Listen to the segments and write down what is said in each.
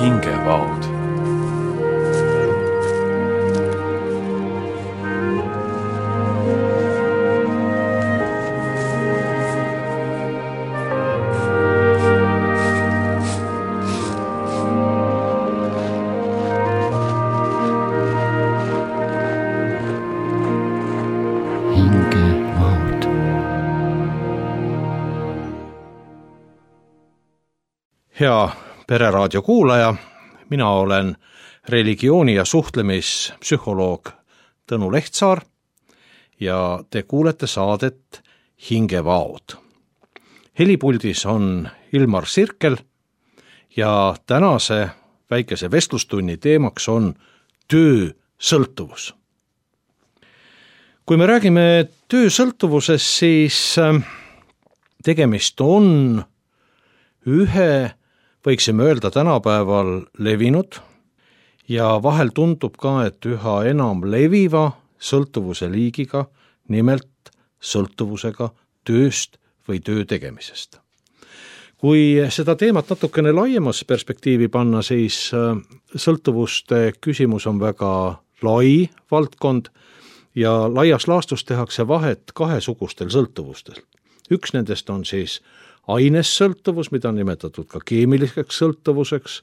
hingevaod. Hea Pereraadio kuulaja, mina olen religiooni- ja suhtlemispsühholoog Tõnu Lehtsaar ja te kuulete saadet Hingevaod. Helipuldis on Ilmar Sirkel ja tänase väikese vestlustunni teemaks on töösõltuvus. Kui me räägime töösõltuvusest, siis tegemist on ühe, võiksime öelda tänapäeval levinud ja vahel tundub ka, et üha enam leviva sõltuvuse liigiga, nimelt sõltuvusega tööst või töö tegemisest. Kui seda teemat natukene laiemas perspektiivi panna, siis sõltuvuste küsimus on väga lai valdkond ja laias laastus tehakse vahet kahesugustel sõltuvustel. Üks nendest on siis ainessõltuvus, mida on nimetatud ka keemiliseks sõltuvuseks,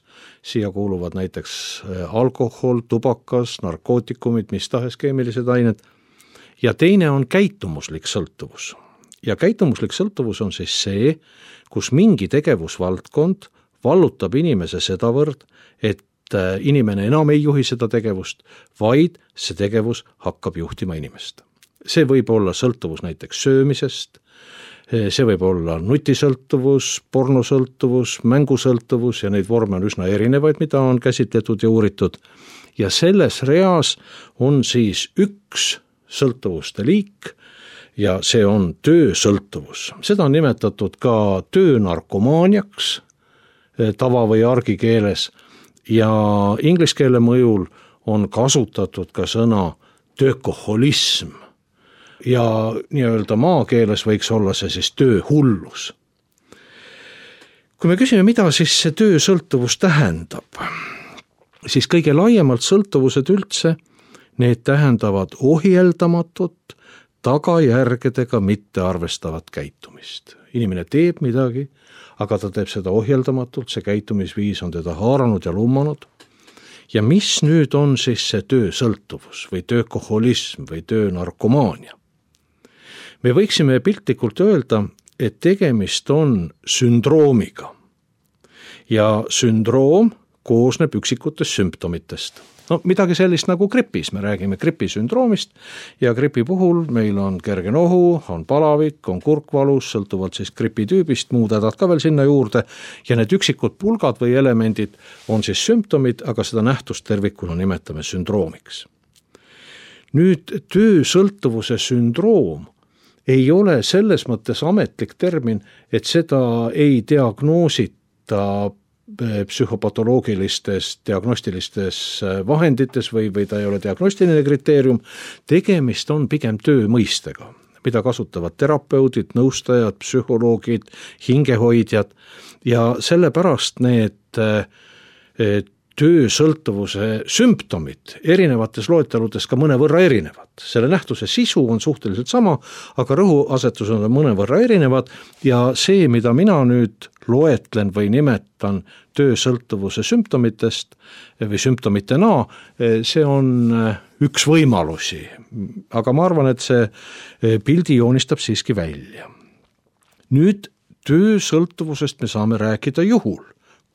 siia kuuluvad näiteks alkohol, tubakas, narkootikumid, mis tahes keemilised ained, ja teine on käitumuslik sõltuvus. Ja käitumuslik sõltuvus on siis see, kus mingi tegevusvaldkond vallutab inimese sedavõrd, et inimene enam ei juhi seda tegevust, vaid see tegevus hakkab juhtima inimest. See võib olla sõltuvus näiteks söömisest, see võib olla nutisõltuvus, pornosõltuvus, mängusõltuvus ja neid vorme on üsna erinevaid, mida on käsitletud ja uuritud. Ja selles reas on siis üks sõltuvuste liik ja see on töösõltuvus. Seda on nimetatud ka töönarkomaaniaks tava- või argikeeles ja ingliskeele mõjul on kasutatud ka sõna töökoholism. Ja nii-öelda maakeeles võiks olla see siis tööhullus. Kui me küsime, mida siis see töösõltuvus tähendab, siis kõige laiemalt sõltuvused üldse, need tähendavad ohjeldamatut, tagajärgedega mitte arvestavat käitumist. Inimene teeb midagi, aga ta teeb seda ohjeldamatult, see käitumisviis on teda haaranud ja lummanud. Ja mis nüüd on siis see töösõltuvus või töökoholism või töönarkomaania? Me võiksime piltlikult öelda, et tegemist on sündroomiga. Ja sündroom koosneb üksikutest sümptomitest. No midagi sellist nagu gripis, me räägime gripisündroomist ja gripi puhul meil on kerge nohu, on palavik, on kurkvalus, sõltuvalt siis gripitüübist, muud hädad ka veel sinna juurde ja need üksikud pulgad või elemendid on siis sümptomid, aga seda nähtust tervikuna nimetame sündroomiks. Nüüd töösõltuvuse sündroom ei ole selles mõttes ametlik termin, et seda ei diagnoosita psühhopatoloogilistes diagnostilistes vahendites või ta ei ole diagnostiline kriteerium, tegemist on pigem töömõistega, mida kasutavad terapeudid, nõustajad, psühholoogid, hingehoidjad ja sellepärast need töösõltuvuse sümptomid erinevates loeteludes ka mõnevõrra erinevad. Selle nähtuse sisu on suhteliselt sama, aga rõhuasetused on mõnevõrra erinevad ja see, mida mina nüüd loetlen või nimetan töösõltuvuse sümptomitest või sümptomitena, see on üks võimalusi. Aga ma arvan, et see pildi joonistab siiski välja. Nüüd töösõltuvusest me saame rääkida juhul,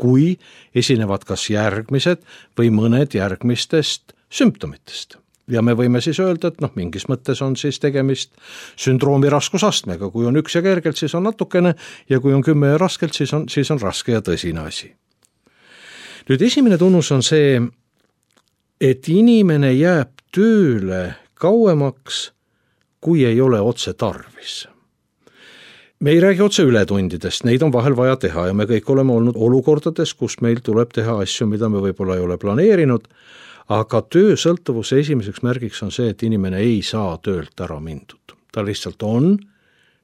kui esinevad kas järgmised või mõned järgmistest sümptomitest. Ja me võime siis öelda, et mingis mõttes on siis tegemist sündroomi raskusastmega. Kui on üks ja kergelt, siis on natukene ja kui on 10 ja raskelt, siis on raske ja tõsine asi. Nüüd esimene tunnus on see, et inimene jääb tööle kauemaks, kui ei ole otse tarvis. Me ei räägi otse ületundidest, neid on vahel vaja teha ja me kõik oleme olnud olukordades, kus meil tuleb teha asju, mida me võib-olla ei ole planeerinud, aga töösõltuvuse esimeseks märgiks on see, et inimene ei saa töölt ära mindud. Ta lihtsalt on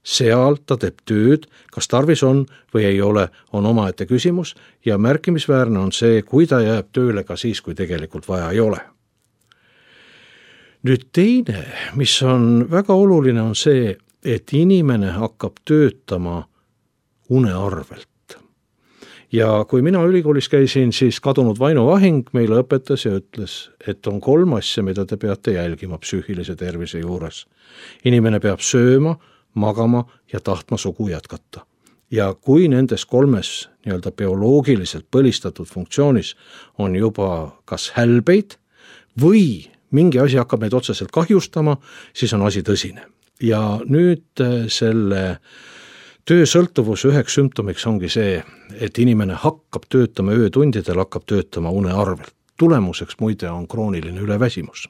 seal ta teeb tööd, kas tarvis on või ei ole, on omaette küsimus ja märkimisväärne on see, kui ta jääb tööle ka siis, kui tegelikult vaja ei ole. Nüüd teine, mis on väga oluline, on see, et inimene hakkab töötama une arvelt. Ja kui mina ülikoolis käisin, siis kadunud Vaino Vahing meile õpetas ja ütles, et on 3 asja, mida te peate jälgima psüühilise tervise juures. Inimene peab sööma, magama ja tahtma sugu jätkata. Ja kui nendes 3 nii-öelda bioloogiliselt põlistatud funktsioonis on juba kas hälbeid või mingi asi hakkab meid otseselt kahjustama, siis on asi tõsine. Ja nüüd selle töösõltuvuse üheks sümptomiks ongi see, et inimene hakkab töötama öötundidel, hakkab töötama une arvelt. Tulemuseks muide on krooniline üleväsimus.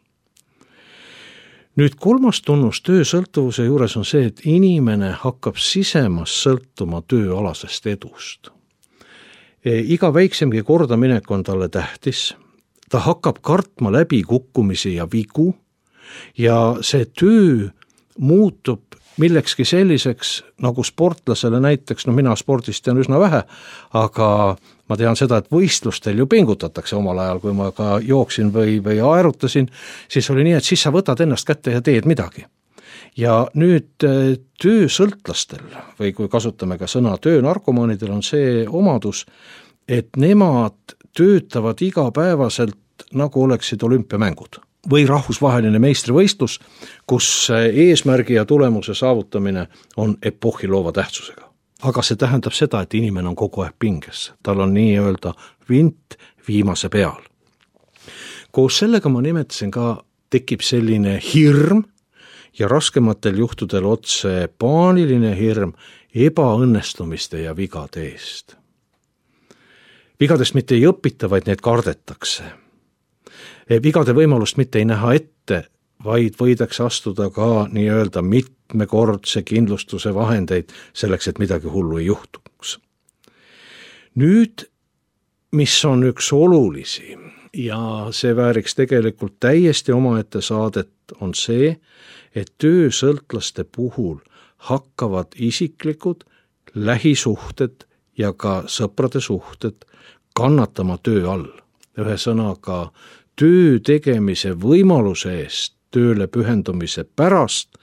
Nüüd 3. tunnus töösõltuvuse juures on see, et inimene hakkab sisemas sõltuma tööalasest edust. Iga väiksemgi kordaminek on talle tähtis, ta hakkab kartma läbikukkumisi ja vigu ja see töö muutub millekski selliseks, nagu sportlasele näiteks, mina spordist tean üsna vähe, aga ma tean seda, et võistlustel ju pingutatakse omal ajal, kui ma ka jooksin või aerutasin, siis oli nii, et siis sa võtad ennast kätte ja teed midagi. Ja nüüd töösõltlastel, või kui kasutame ka sõna töönarkomaanidel, on see omadus, et nemad töötavad igapäevaselt nagu oleksid olümpiamängud või rahvusvaheline meistrivõistlus, kus eesmärgi ja tulemuse saavutamine on epohhiloova tähtsusega. Aga see tähendab seda, et inimene on kogu aeg pinges. Tal on nii-öelda vint viimase peal. Koos sellega ma nimetasin ka, tekib selline hirm ja raskematel juhtudel otse paaniline hirm ebaõnnestumiste ja vigade eest. Vigadest mitte ei õpita, vaid need kardetakse. Vigade võimalust mitte ei näha ette, vaid võidakse astuda ka nii-öelda mitmekordse kindlustuse vahendeid selleks, et midagi hullu ei juhtuks. Nüüd, mis on üks olulisi ja see vääriks tegelikult täiesti omaette saadet, on see, et töösõltlaste puhul hakkavad isiklikud lähisuhted ja ka sõprade suhted kannatama töö all. Ühesõnaga, töö tegemise võimaluse eest, tööle pühendumise pärast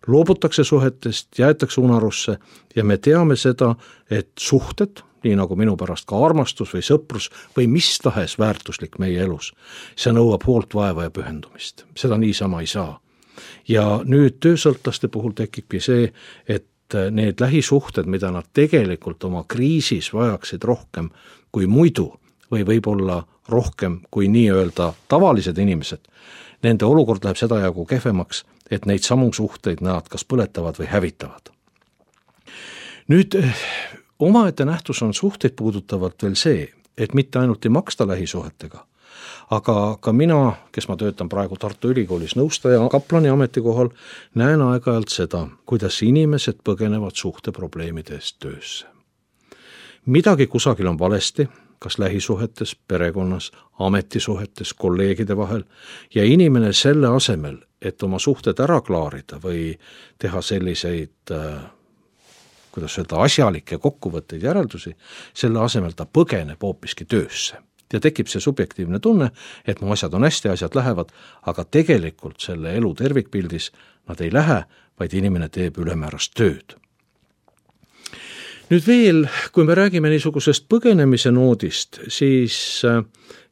loobutakse suhetest, jäetakse unarusse ja me teame seda, et suhted, nii nagu minu pärast ka armastus või sõprus või mis tahes väärtuslik meie elus, see nõuab hoolt, vaeva ja pühendumist. Seda niisama ei saa. Ja nüüd töösõltlaste puhul tekibki see, et need lähisuhted, mida nad tegelikult oma kriisis vajaksid rohkem kui muidu või võib-olla rohkem kui nii-öelda tavalised inimesed, nende olukord läheb seda jagu kehvemaks, et neid samu suhteid nad kas põletavad või hävitavad. Nüüd, omaette nähtus on suhteid puudutavalt veel see, et mitte ainult ei maksta lähisuhetega, aga ka mina, kes ma töötan praegu Tartu Ülikoolis nõustaja kaplani ametikohal, näen aeg-ajalt seda, kuidas inimesed põgenevad suhteprobleemide eest töösse. Midagi kusagil on valesti, kas lähisuhetes, perekonnas, ametisuhetes, kolleegide vahel ja inimene selle asemel, et oma suhted ära klaarida või teha selliseid, asjalikke kokkuvõtteid järeldusi, selle asemel ta põgeneb hoopiski töösse. Ja tekib see subjektiivne tunne, et mu asjad on hästi, asjad lähevad, aga tegelikult selle elu tervikpildis nad ei lähe, vaid inimene teeb ülemäärast tööd. Nüüd veel, kui me räägime niisugusest põgenemise noodist, siis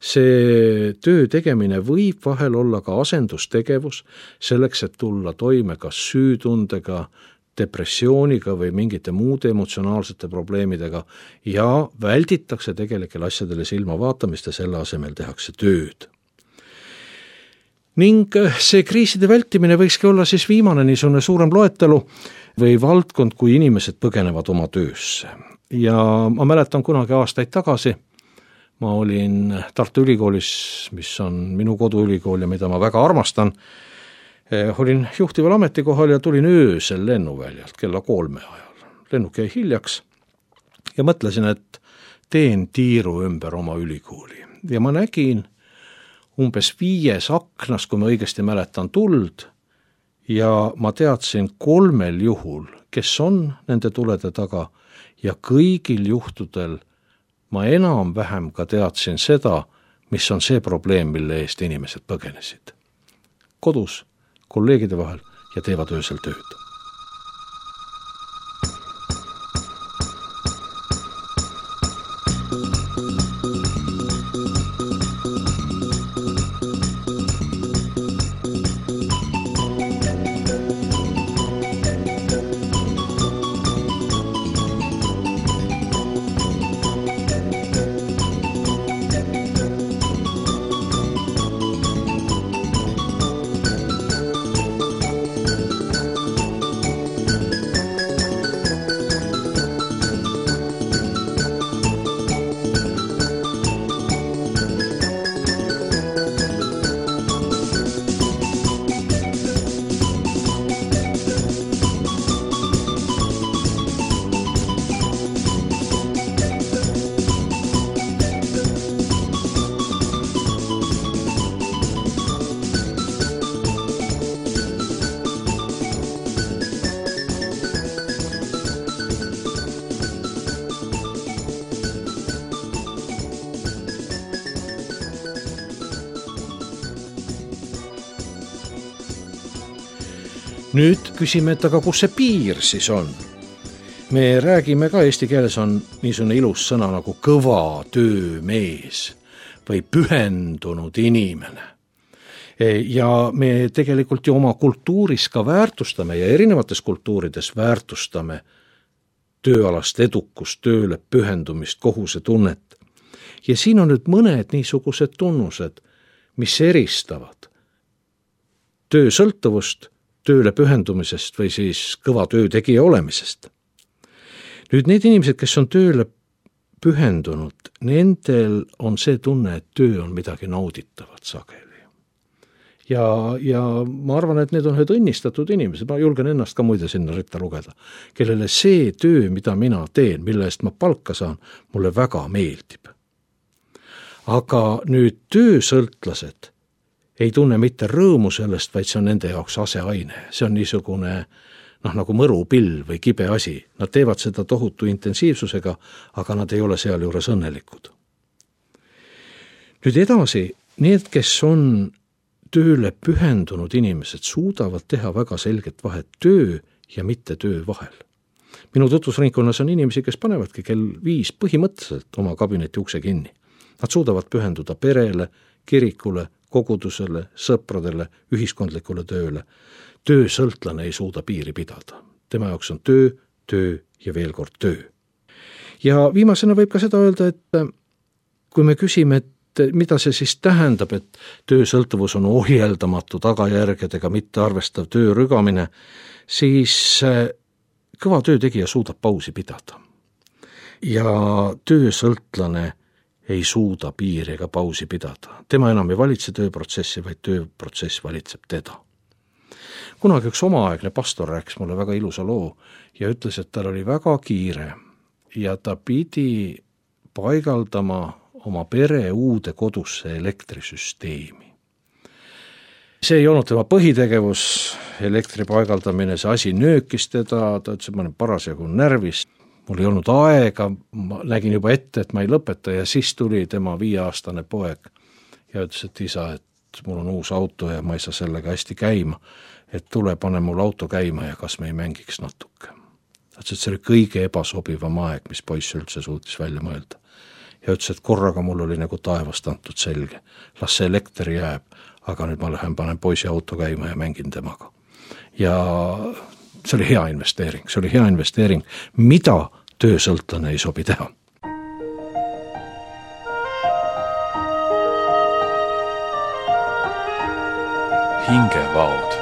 see töö tegemine võib vahel olla ka asendustegevus selleks, et tulla toime kas süütundega, depressiooniga või mingite muude emotsionaalsete probleemidega ja välditakse tegelikel asjadele silma vaatamist ja selle asemel tehakse tööd. Ning see kriiside vältimine võikski olla siis viimane niisugune suurem loetelu või valdkond, kui inimesed põgenevad oma töösse. Ja ma mäletan kunagi aastaid tagasi, ma olin Tartu Ülikoolis, mis on minu koduülikool ja mida ma väga armastan, olin juhtival ametikohal ja tulin öösel lennuväljalt kella 3 ajal. Lennuk jäi hiljaks ja mõtlesin, et teen tiiru ümber oma ülikooli. Ja ma nägin umbes 5 aknas, kui ma õigesti mäletan, tuld ja ma teadsin 3 juhul, kes on nende tulede taga ja kõigil juhtudel ma enam-vähem ka teadsin seda, mis on see probleem, mille eest inimesed põgenesid. Kodus, kolleegide vahel ja teevad öösel tööd. Nüüd küsime, et aga kus see piir siis on? Me räägime ka, eesti keeles on niisugune ilus sõna nagu kõva töömees või pühendunud inimene. Ja me tegelikult ju oma kultuuris ka väärtustame ja erinevates kultuurides väärtustame tööalast edukust, tööle pühendumist, kohusetunnet. Ja siin on nüüd mõned niisugused tunnused, mis eristavad töösõltuvust tööle pühendumisest või siis kõva töötegija olemisest. Nüüd need inimesed, kes on tööle pühendunud, nendel on see tunne, et töö on midagi nauditavat sageli. Ja ma arvan, et need on ühed õnnistatud inimesed, ma julgen ennast ka muide sinna ritta lugeda, kellele see töö, mida mina teen, mille eest ma palka saan, mulle väga meeldib. Aga nüüd töösõltlased ei tunne mitte rõõmu sellest, vaid see on nende jaoks aseaine. See on niisugune nagu mõrupill või kibe asi. Nad teevad seda tohutu intensiivsusega, aga nad ei ole seal juures õnnelikud. Nüüd edasi, need, kes on tööle pühendunud inimesed, suudavad teha väga selget vahet töö ja mitte töö vahel. Minu tutvusringkonnas on inimesi, kes panevadki kell 5 põhimõtteliselt oma kabineti ukse kinni. Nad suudavad pühenduda perele, kirikule, kogudusele, sõpradele, ühiskondlikule tööle. Töösõltlane ei suuda piiri pidada. Tema jaoks on töö ja veel kord töö. Ja viimasena võib ka seda öelda, et kui me küsime, et mida see siis tähendab, et töösõltuvus on ohjeldamatu tagajärgedega mitte arvestav töö rügamine, siis kõva töötegija suudab pausi pidada. Ja töösõltlane ei suuda piiri ega pausi pidada. Tema enam ei valitse tööprotsessi, vaid tööprotsess valitseb teda. Kunagi üks omaaegne pastor rääkis mulle väga ilusa loo ja ütles, et tal oli väga kiire ja ta pidi paigaldama oma pere uude kodusse elektrisüsteemi. See ei olnud tema põhitegevus, elektri paigaldamine, see asi nöökis teda, ta ütles, et ma olen parasjagu närvis. Mul ei olnud aega, ma nägin juba ette, et ma ei lõpeta ja siis tuli tema 5-aastane poeg ja ütles, et isa, et mul on uus auto ja ma ei saa sellega hästi käima, et tule, pane mul auto käima ja kas me ei mängiks natuke. Ta ütles, et see oli kõige ebasobivam aeg, mis poiss üldse suutis välja mõelda. Ja ütles, et korraga mul oli nagu taevast antud selge. Las see elekter jääb, aga nüüd ma lähen, panen poisi auto käima ja mängin temaga. Ja see oli hea investeering, mida töösõltlane ei sobi teha. Hingevaod.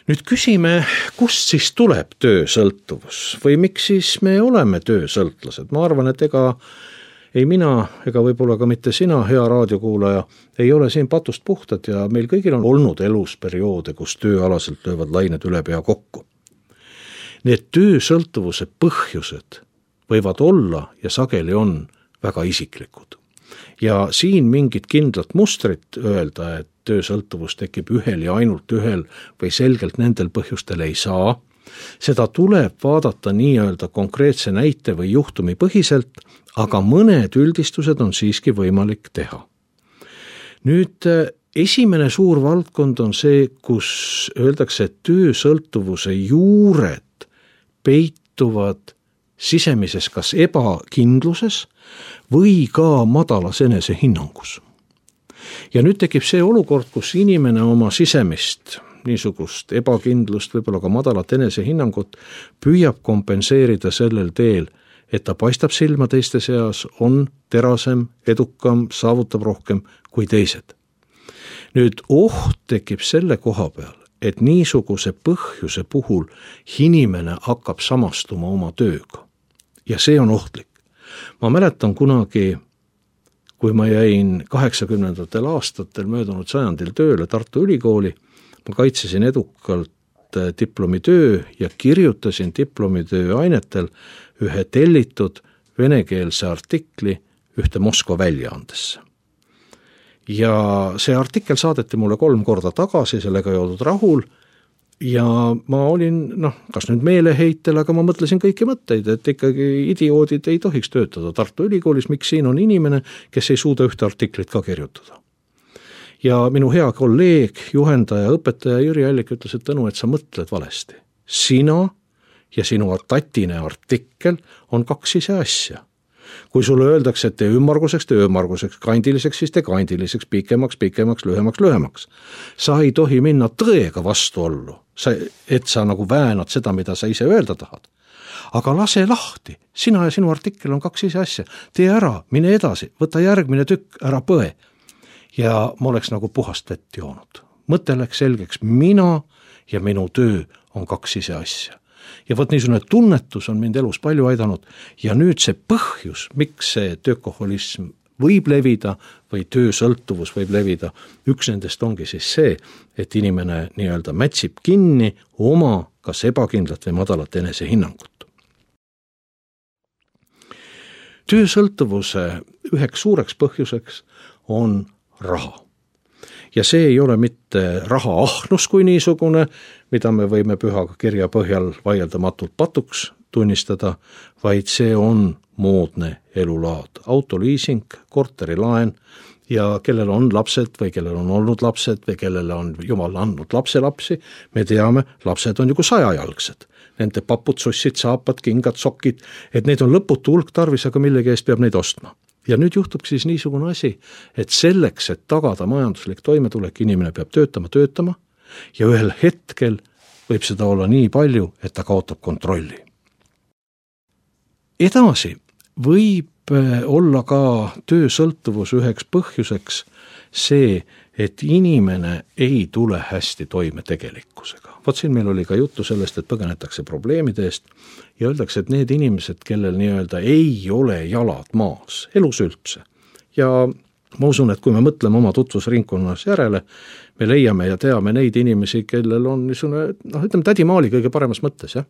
Nüüd küsime, kust siis tuleb töösõltuvus või miks siis me oleme töösõltlased? Ma arvan, et ega ei mina ega võib-olla ka mitte sina, hea raadiokuulaja, ei ole siin patust puhtad ja meil kõigil on olnud elus perioode, kus tööalaselt löövad lained üle pea kokku. Need töösõltuvuse põhjused võivad olla ja sageli on väga isiklikud. Ja siin mingit kindlat mustrit öelda, et töösõltuvus tekib ühel ja ainult ühel või selgelt nendel põhjustel ei saa. Seda tuleb vaadata nii-öelda konkreetse näite või juhtumi põhiselt, aga mõned üldistused on siiski võimalik teha. Nüüd esimene suur valdkond on see, kus öeldakse, et töösõltuvuse juured peituvad sisemises kas ebakindluses või ka madalas enesehinnangus. Ja nüüd tekib see olukord, kus inimene oma sisemist niisugust ebakindlust, võib-olla ka madalat enesehinnangut püüab kompenseerida sellel teel, et ta paistab silma teiste seas, on terasem, edukam, saavutab rohkem kui teised. Nüüd oht tekib selle koha peal, et niisuguse põhjuse puhul inimene hakkab samastuma oma tööga. Ja see on ohtlik. Ma mäletan kunagi, kui ma jäin 80. aastatel möödunud sajandil tööle Tartu Ülikooli, ma kaitsesin edukalt diplomitöö ja kirjutasin diplomitöö ainetel ühe tellitud venekeelse artikli ühte Moskva väljaandesse. Ja see artikkel saadeti mulle 3 korda tagasi, sellega ei oldud rahul ja ma olin, kas nüüd meeleheitel, aga ma mõtlesin kõiki mõtteid, et ikkagi idioodid ei tohiks töötada Tartu Ülikoolis, miks siin on inimene, kes ei suuda ühte artiklit ka kirjutada. Ja minu hea kolleeg, juhendaja, õpetaja Jüri Allik ütles, et Tõnu, et sa mõtled valesti. Sina ja sinu tatine artikkel on 2 ise asja. Kui sulle öeldakse, et tee ümmarguseks, kandiliseks, siis tee kandiliseks, pikemaks, lühemaks. Sa ei tohi minna tõega vastuollu, et sa nagu väänad seda, mida sa ise öelda tahad. Aga lase lahti, sina ja sinu artikkel on 2 ise asja. Tee ära, mine edasi, võta järgmine tükk, ära põe. Ja ma oleks nagu puhast vett joonud. Mõte läks selgeks, mina ja minu töö on 2 ise asja. Ja võt niisugune tunnetus on mind elus palju aidanud ja nüüd see põhjus, miks see töökoholism võib levida või töösõltuvus võib levida, üks nendest ongi siis see, et inimene nii-öelda mätsib kinni oma kas ebakindlat või madalat enesehinnangut. Töösõltuvuse üheks suureks põhjuseks on raha. Ja see ei ole mitte raha ahnus kui niisugune, mida me võime püha kirja põhjal vaieldamatult patuks tunnistada, vaid see on moodne elulaad. Autoliising, korterilaen ja kellel on lapsed või kellel on olnud lapsed või kellele on Jumal andnud lapselapsi, me teame, lapsed on ju kui 100-jalgsed. Nende papud, sussid, saapad, kingad, sokid, et neid on lõputu hulk tarvis, aga millegi eest peab neid ostma. Ja nüüd juhtub siis niisugune asi, et selleks, et tagada majanduslik toimetulek, inimene peab töötama ja ühel hetkel võib seda olla nii palju, et ta kaotab kontrolli. Edasi võib olla ka töösõltuvus üheks põhjuseks see, et inimene ei tule hästi toime tegelikkusega. Vot siin meil oli ka juttu sellest, et põgenetakse probleemide eest ja öeldakse, et need inimesed, kellel nii-öelda ei ole jalad maas, elus üldse. Ja ma usun, et kui me mõtleme oma tutvusringkonnas järele, me leiame ja teame neid inimesi, kellel on niisugune, ütleme tädimaali kõige paremas mõttes, jah.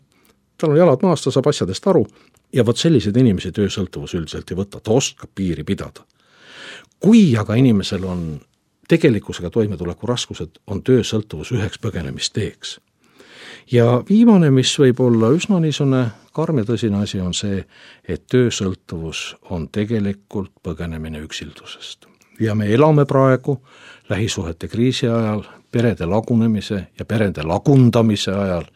Tal on jalad maas, ta saab asjadest aru ja vot sellised inimesi töösõltuvus üldiselt ei võta, ta oskab piiri pidada. Kui aga inimesel on tegelikkusega toimetuleku raskused, on töösõltuvus üheks põgenemisteeks. Ja viimane, mis võib olla üsna niisugune karm ja tõsine asi, on see, et töösõltuvus on tegelikult põgenemine üksildusest. Ja me elame praegu lähisuhete kriisi ajal, perede lagunemise ja perede lagundamise ajal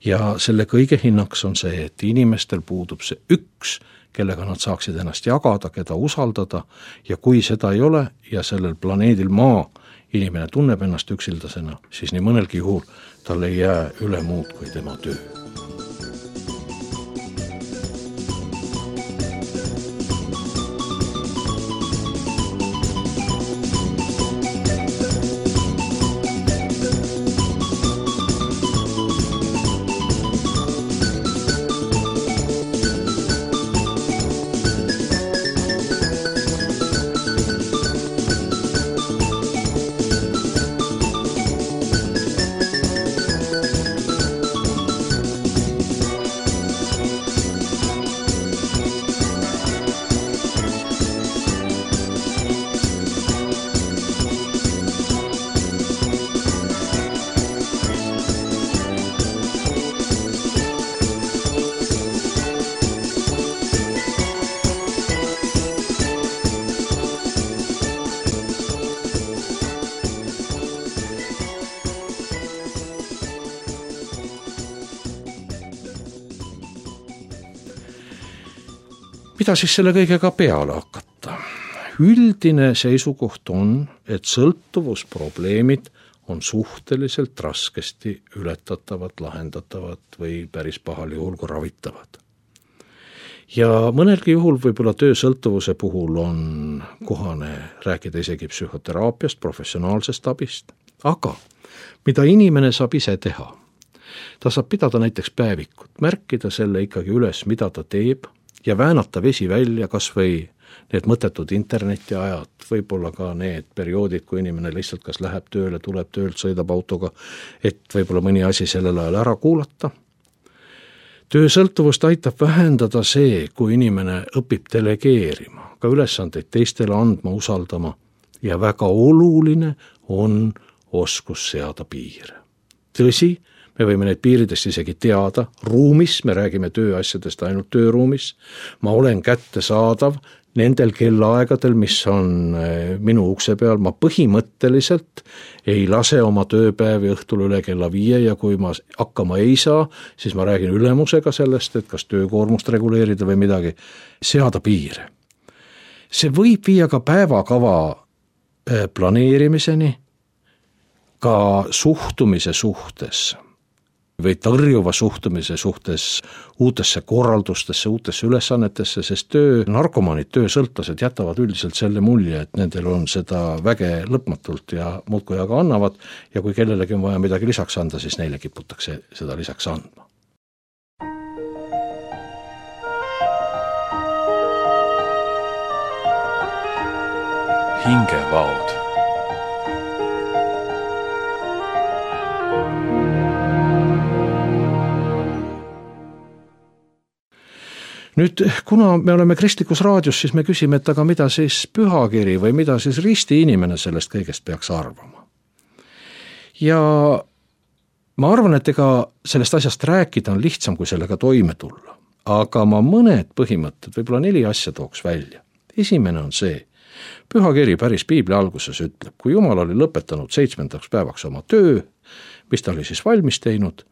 ja selle kõige hinnaks on see, et inimestel puudub see üks, kellega nad saaksid ennast jagada, keda usaldada ja kui seda ei ole ja sellel planeedil Maa inimene tunneb ennast üksildasena, siis nii mõnelgi juhul tal ei jää üle muud kui tema töö. mida siis selle kõigega peale hakata? Üldine seisukoht on, et sõltuvusprobleemid on suhteliselt raskesti ületatavad, lahendatavad või päris pahal juhul kui ravitavad. Ja mõnelgi juhul võib-olla töösõltuvuse puhul on kohane rääkida isegi psühhoteraapiast, professionaalsest abist, aga mida inimene saab ise teha? Ta saab pidada näiteks päevikut, märkida selle ikkagi üles, mida ta teeb ja väänata vesi välja, kas või need mõttetud internetiajad, võib-olla ka need perioodid, kui inimene lihtsalt kas läheb tööle, tuleb töölt, sõidab autoga, et võib-olla mõni asi sellel ajal ära kuulata. Töösõltuvust aitab vähendada see, kui inimene õpib delegeerima, ka ülesandeid teistele andma, usaldama ja väga oluline on oskus seada piire. Tõsi, me võime neid piiridest isegi teada, ruumis, me räägime tööasjadest ainult tööruumis, ma olen kättesaadav nendel kellaaegadel, mis on minu ukse peal, ma põhimõtteliselt ei lase oma tööpäevi õhtul üle kella 5 ja kui ma hakkama ei saa, siis ma räägin ülemusega sellest, et kas töökoormust reguleerida või midagi, seada piire. See võib viia ka päevakava planeerimiseni, ka suhtumise suhtes või tõrjuva suhtumise suhtes uutesse korraldustesse, uutesse ülesannetesse, sest narkomaanid, töösõltlased jätavad üldiselt selle mulje, et nendel on seda väge lõpmatult ja muudkui aga annavad ja kui kellelegi on vaja midagi lisaks anda, siis neile kiputakse seda lisaks andma. Hingevaod. Nüüd, kuna me oleme kristlikus raadios, siis me küsime, et aga mida siis pühakiri või mida siis risti inimene sellest kõigest peaks arvama. Ja ma arvan, et ega sellest asjast rääkida on lihtsam, kui sellega toime tulla. Aga ma mõned põhimõtted, võib-olla 4 asja tooks välja. Esimene on see, pühakiri päris piibli alguses ütleb, kui Jumal oli lõpetanud 7. päevaks oma töö, mis ta oli siis valmis teinud,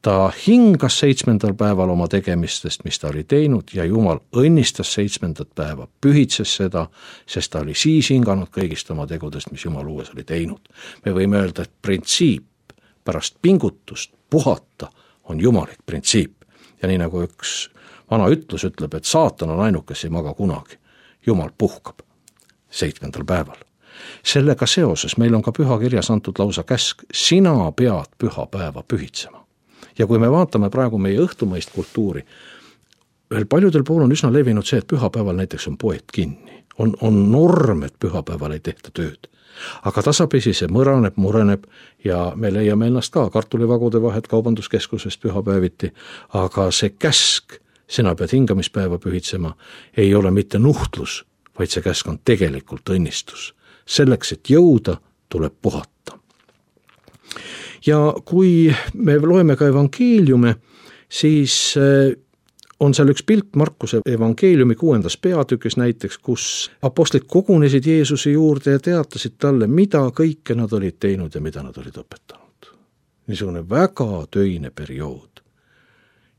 ta hingas 7. päeval oma tegemistest, mis ta oli teinud ja Jumal õnnistas 7. päeva, pühitses seda, sest ta oli siis hinganud kõigist oma tegudest, mis Jumal uues oli teinud. Me võime öelda, et printsiip pärast pingutust puhata on jumalik printsiip. Ja nii nagu üks vana ütlus ütleb, et saatan on ainuke, kes ei maga kunagi. Jumal puhkab 7. päeval. Sellega seoses meil on ka pühakirjas antud lausa käsk, sina pead pühapäeva pühitsema. Ja kui me vaatame praegu meie õhtumõist kultuuri, veel paljudel pool on üsna levinud see, et pühapäeval näiteks on poed kinni. On norm, et pühapäeval ei tehta tööd. Aga tasapisi see mureneb ja me leiame ennast ka kartulivagude vahet kaubanduskeskusest pühapäeviti, aga see käsk, sina pead hingamispäeva pühitsema, ei ole mitte nuhtlus, vaid see käsk on tegelikult õnnistus. Selleks, et jõuda, tuleb puhata. Ja kui me loeme ka evangeeliume, siis on seal üks pilt Markuse evangeeliumi 6. peatükis näiteks, kus apostlid kogunesid Jeesuse juurde ja teatasid talle, mida kõike nad olid teinud ja mida nad olid õpetanud. Niisugune väga töine periood.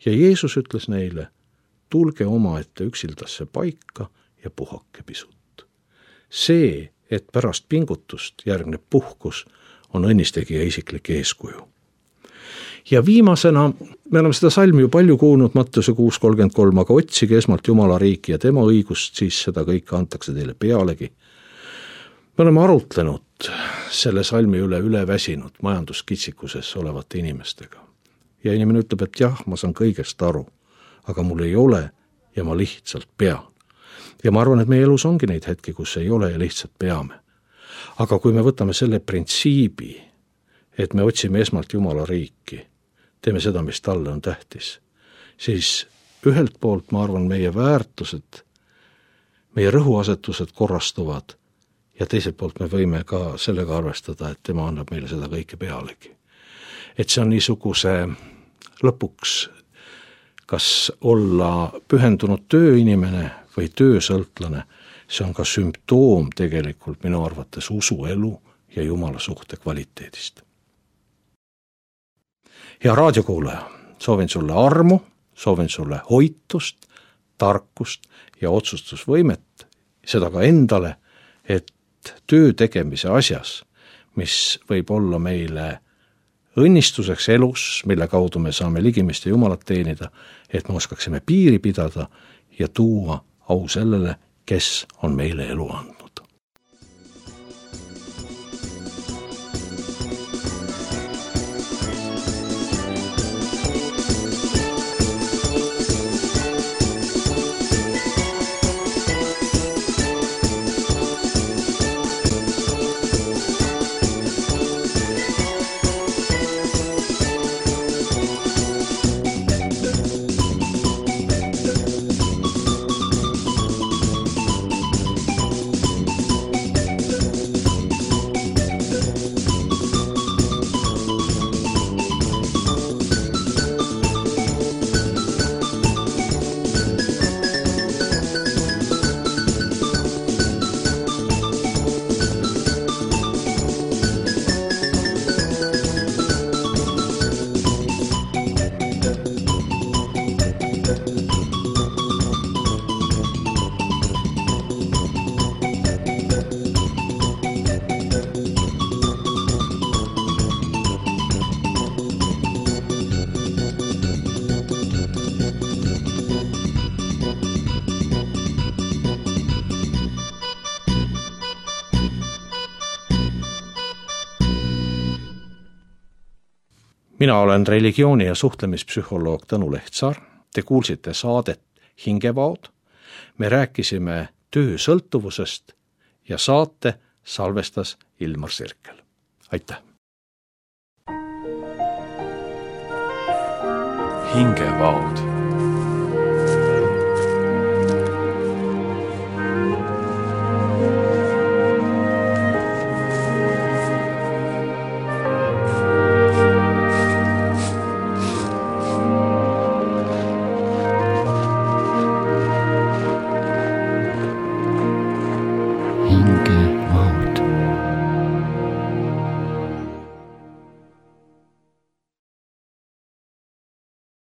Ja Jeesus ütles neile, tulge omaette üksildasse paika ja puhake pisut. See, et pärast pingutust järgneb puhkus, on õnnistegija isiklik eeskuju. Ja viimasena, me oleme seda salmi ju palju kuulnud, Matteuse 6.33, aga otsige esmalt Jumala riiki ja tema õigust, siis seda kõike antakse teile pealegi. Me oleme arutlenud selle salmi üle väsinud majanduskitsikuses olevate inimestega. Ja inimene ütleb, et jah, ma saan kõigest aru, aga mul ei ole ja ma lihtsalt pean. Ja ma arvan, et meie elus ongi neid hetki, kus ei ole ja lihtsalt peame. Aga kui me võtame selle printsiibi, et me otsime esmalt Jumala riiki, teeme seda, mis talle on tähtis, siis ühelt poolt, ma arvan, meie väärtused, meie rõhuasetused korrastuvad ja teiselt poolt me võime ka sellega arvestada, et tema annab meile seda kõike pealegi. Et see on niisuguse lõpuks, kas olla pühendunud tööinimene või töösõltlane, see on ka sümptoom tegelikult minu arvates usuelu ja Jumala suhte kvaliteedist. Hea raadiokuulaja, soovin sulle armu, soovin sulle hoitust, tarkust ja otsustusvõimet, seda ka endale, et töö tegemise asjas, mis võib olla meile õnnistuseks elus, mille kaudu me saame ligimist ja Jumalat teenida, et me oskaksime piiri pidada ja tuua au sellele, kes on meile elu andnud. Mina olen religiooni- ja suhtlemispsühholoog Tõnu Lehtsaar. Te kuulsite saadet Hingevaod. Me rääkisime töösõltuvusest ja saate salvestas Ilmar Sirkel. Aitäh! Hingevaod.